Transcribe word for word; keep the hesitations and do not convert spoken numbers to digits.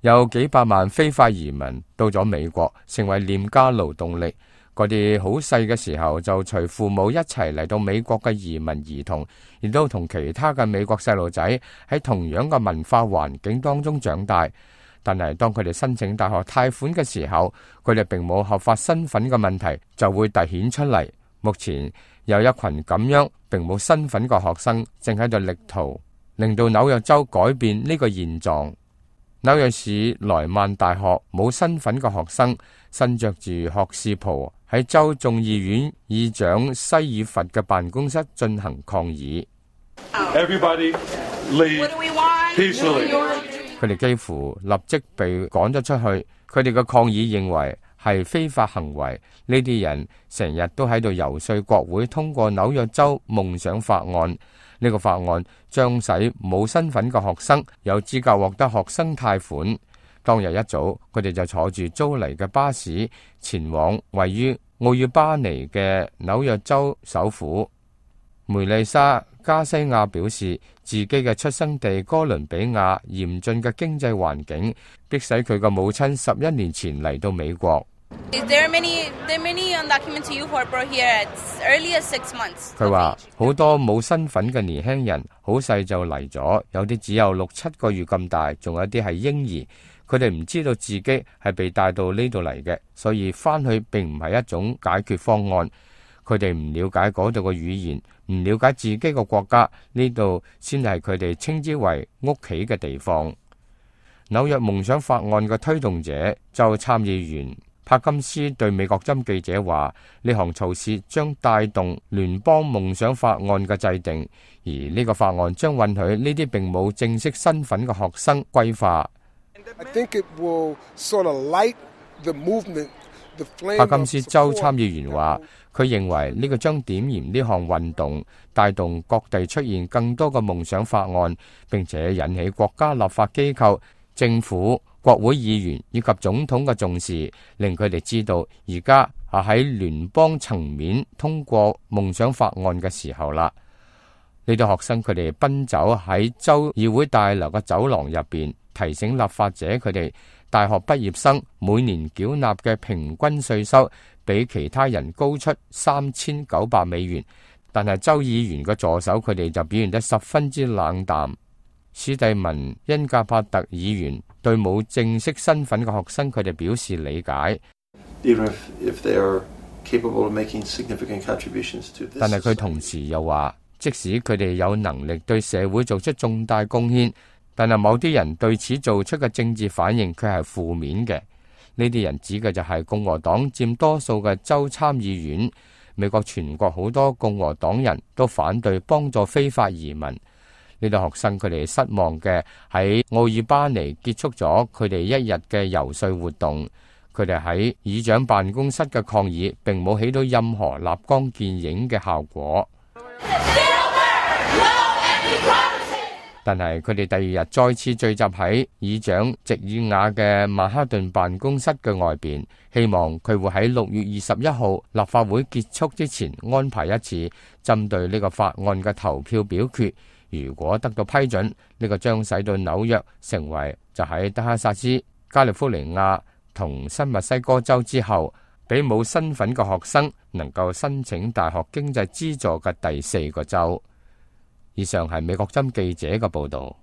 有幾百萬非法移民到咗美國，成為廉價勞動力。嗰啲好細嘅時候就隨父母一齊嚟到美國嘅移民兒童，亦都同其他嘅美國細路仔喺同樣嘅文化環境當中長大。但係當佢哋申請大學貸款嘅時候，佢哋並冇合法身份嘅問題就會凸顯出嚟。目前有一群咁樣並冇身份嘅學生正喺度力圖令到紐約州改變呢個現狀。紐約市萊曼大學冇身份嘅學生身着住學士袍喺州眾議院議長西爾佛嘅辦公室進行抗議。Everybody leave peacefully. 佢哋幾乎立即被趕咗出去。佢哋嘅抗議認為係非法行為。呢啲人成日都喺度游說國會通過紐約州夢想法案。呢個法案將使冇身份嘅學生有資格獲得學生貸款。當日一早，佢哋就坐住租嚟嘅巴士前往位於奧爾巴尼嘅紐約州首府。梅麗莎加西亞表示，自己嘅出生地哥倫比亞嚴峻嘅經濟環境，迫使佢嘅母親十一年前嚟到美國。佢話好多冇身份嘅年輕人好細就嚟咗，有啲只有六七個月咁大，仲有啲係嬰兒。佢哋唔知道自己係被帶到呢度嚟嘅，所以翻去並唔係一種解決方案。佢哋唔了解嗰度嘅語言，唔了解自己嘅國家，呢度先係佢哋稱之為屋企嘅地方。紐約夢想法案嘅推動者州參議員帕金斯對美國針記者話：呢項措施將帶動聯邦夢想法案嘅制定，而呢個法案將允許呢啲並冇正式身份嘅學生歸化。帕金斯州參議員話：佢認為呢個將點燃呢項運動，帶動各地出現更多嘅夢想法案，並且引起國家立法機構、政府、國會議員以及總統嘅重視，令佢哋知道而家係喺聯邦層面通過夢想法案嘅時候啦。呢啲學生佢哋奔走喺州議會大樓嘅走廊入邊，提醒立法者佢哋大學畢業生每年繳納嘅平均稅收比其他人高出三千九百美元，但係州議員嘅助手佢哋就表現得十分之冷淡。史蒂文恩格帕特議員對冇正式身份嘅學生佢哋表示理解，但係佢同時又話，即使佢哋有能力對社會做出重大貢獻，但係某啲人對此做出嘅政治反應卻係負面嘅。呢啲人指嘅就係共和黨佔多數嘅州參議院。美國全國好多共和黨人都反對幫助非法移民。呢啲學生佢哋失望嘅喺奧爾巴尼結束咗佢哋一日嘅遊說活動。佢哋喺議長辦公室嘅抗議並冇起到任何立竿見影嘅效果。但係佢哋第二日再次聚集喺議長席爾瓦嘅曼哈頓辦公室嘅外邊，希望佢會喺六月二十一號立法會結束之前安排一次針對呢個法案嘅投票表決。如果得到批准，呢個將使到紐約成為就喺德克薩斯、加利福尼亞同新墨西哥州之後，俾冇身份嘅學生能夠申請大學經濟資助嘅第四個州。以上係美國針記者嘅報道。